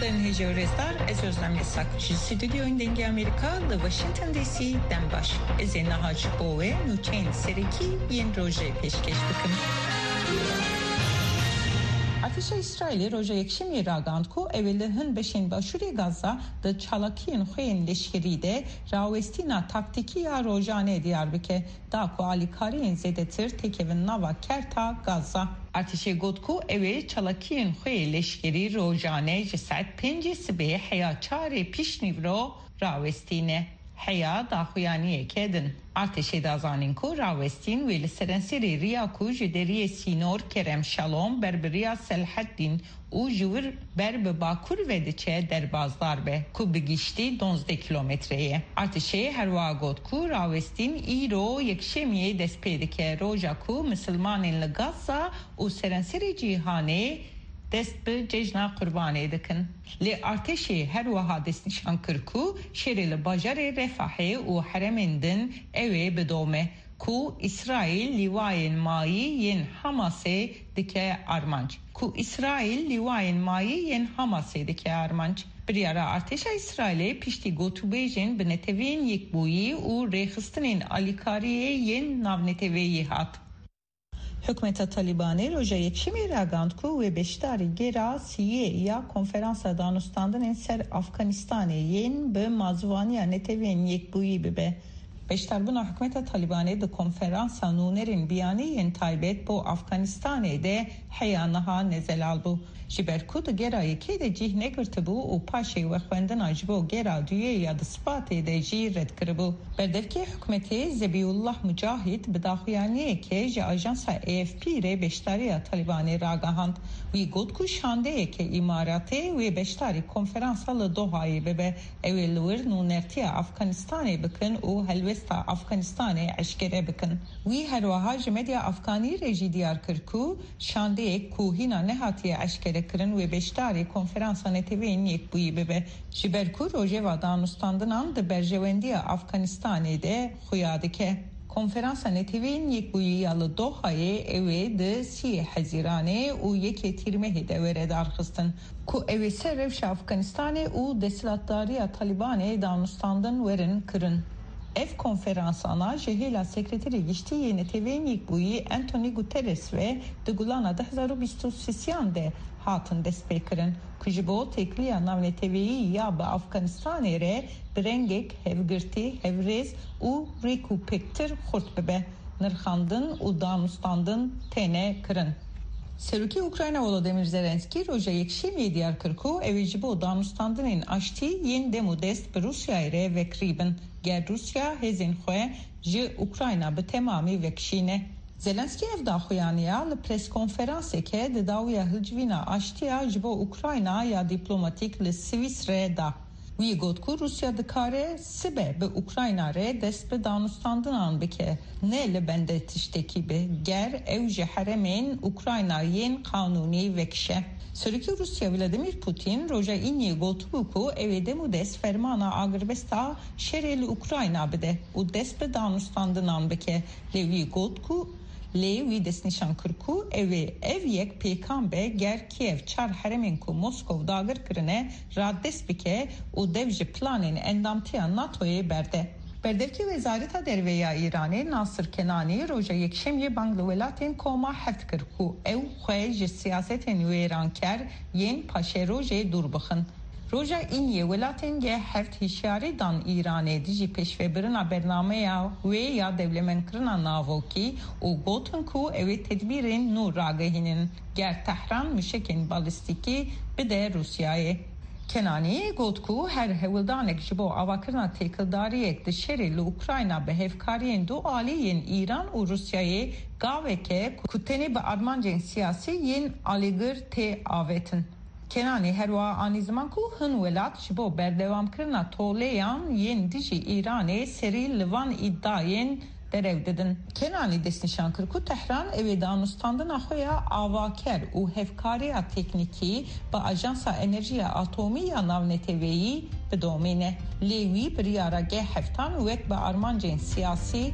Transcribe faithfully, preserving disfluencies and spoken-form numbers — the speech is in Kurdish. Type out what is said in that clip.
Hêja û rêzdar, ez Özlem Yasak. Ji stûdyoyên Dengê Amerîka li Washington D C dem baş. Ez ê niha ji bo we nûçeyên serekî yên rojê pêşkêş bikim. Artêşa Îsraîlê roja Yekşemiyê ragihand ku ew ê li hin beşên başûrê Gaza di çalakiyên xwe yên leşkerî de rawestîna taktîkî ya rojane diyar bike, da ku alîkariyên zêdetir têkevin nava kerta Gaza. Artêşê got ku ew ê çalakiyên xwe yê leşkerî rojane ji saet pêncê sibê heya çarê piştnîvro rawestîne. Heya daxuyaniyeke din. Artêşê da zanîn ku rawestîn wê li serenserê riya ku ji deriyê sînor Kerem Şalom ber bi riya Selheddîn û ji wir ber bi bakur ve diçe derbasdar be, ku bi giştî duwazdeh kilometre ye. Artêşê her wiha got ku rawestîn îro Yekşemiyê dest pê dike, roja ku misilmanên li Gaza û serenserê cîhanê dest bi cejna Qurbanê dikin. Lê artêşê her wiha destnîşan kir ku şerê li bajarê Refahê û herêmên din ew ê bidome, ku Îsraîl lîwayên mayî yên Hamasê dike armanc. Ku Îsraîl lîwayên mayî yên Hamasê dike armanc. Biryara artêşa Îsraîlê piştî gotûbêjên bi Neteweyên Yekbûyî û rêxistinên alîkariyê yên navneteweyî hat. Hikûmeta Talîbanê roja Yekşemê ragihand ku wê beşdarî gera siyê ya Konferansa Danûstandinên ser Afganistanê yên bi mazûvaniya Neteweyên Yekbûyî bibe. Beşdarbûna hikûmeta Talîbanê di konferansa nûnerên biyanî yên taybet bo Afganistanê de heya niha nezelal bû. Ji ber ku di gera yekê de cih negirtibû û paşê wexwendina ji bo gera duyê ya di Sbatê de jî red kiribû. Berdevkê hikûmetê Zebîullah Mucahîd bi daxuyaniyeke ji ajansa A F P re beşdariya Talîbanê ragihand. Wî got ku şandeyeke Îmaratê wê beşdarî konferansa li Dohayê bibe. Ew ê li wir nûnertiya Afganistanê bikin û helwesta Afganistanê eşkere bikin. Wî her wiha ji medya afganî re jî diyar kir ku şandeyek ku hîna nehatiye eşkerekirin wê beşdarî Konferansa Neteweyên Yekbûyî bibe, ji ber ku rojeva danûstandinan di berjewendiya Afganistanê de xuya dike. Konferansa Neteweyên Yekbûyî ya li Dohayê ew ê di siyê Hezîranê û yekê Tîrmehê de were darxistin, ku ew ê ser rewşa Afganistanê û desthilatdariya Talîbanê danûstandin werin kirin. Ev konferansana ji hêla Sekreterê Giştî yê Neteweyên Yekbûyî Antonî Guterres ve di Gulana du hezar û bîst û sêyan de hatin destpêkirin, ku ji bo têkiliya navneteweyî ya bi Afganistanê re bi rengek hevgirtî, hevrêz û rêkûpêktir xurt bibe, nirxandin û danûstandin têne kirin. Serokê Ukrayna Volodymyr Zelenskî roja Yekşemiyê diyar kir ku ew ê ji bo danûstandinên aştî yên dem û dest bi Rûsyayê re vekirî bin, ger Rûsya hêzên xwe ji Ukrayna bi temamî vekişîne. Zelenskî ev daxuyaniya li preskonferanseke di dawiya hilcivîna aştiya ji bo Ukrayna ya dîplomatîk li Swîsre da. Wî got ku Rûsya dikare sibe bi Ukrayna re dest bi danûstandinan bike, ne li bende tiştekî be, ger ew ji herêmên Ukrayna yên qanûnî vekişe. Serokê Rûsya Vladimir Putin roja Îniyê gotibû ku ew ê dem û dest fermana agirbesta şerê li Ukrayna bide û dest bi danûstandinan bike. Lê wî got ku, lê wî destnîşan kir ku ew ê ev yek pêkan be ger Kiev çar herêmên ku Moskov dagir kirine radest bike û dev ji planên endamtiya NATOyê berde. Berdevkê Wezareta Derve ya Îranê Nasir Kenanî roja Yekşemiyê bang li welatên Koma Heft kir ku ew xwe ji siyasetên wêranker yên paşerojê dûr bixin. Roja Îniyê welatên G heft hişyarî dan Îranê dijî pêşvebirina bernameya wê ya dewlemendkirina navokî û gotin ku ew ê tedbîrên nû ragihînin, ger Tehran mişekên balîstîkî bide Rûsyayê. Kenanî got ku her hewldanek ji bo avakirina têkildariyek di şerê li Ukrayna bi hevkariyên du alî yên Îran û Rûsyayê gaveke ku tenê bi armancên siyasî yên alîgir tê avêtin. Kenanî her wiha anî ziman ku hin welat ji bo berdewamkirina toleyan yên dijî Îranê serî li van îdiayên derew didin. Kenanî destnîşan kir ku Tehran ew ê danûstandina xwe ya avaker û hevkariya teknîkî bi Ajansa Enerjiya Atomî ya Navneteweyî bidomîne. Lê wî biryara G heftan wek bi armancên siyasî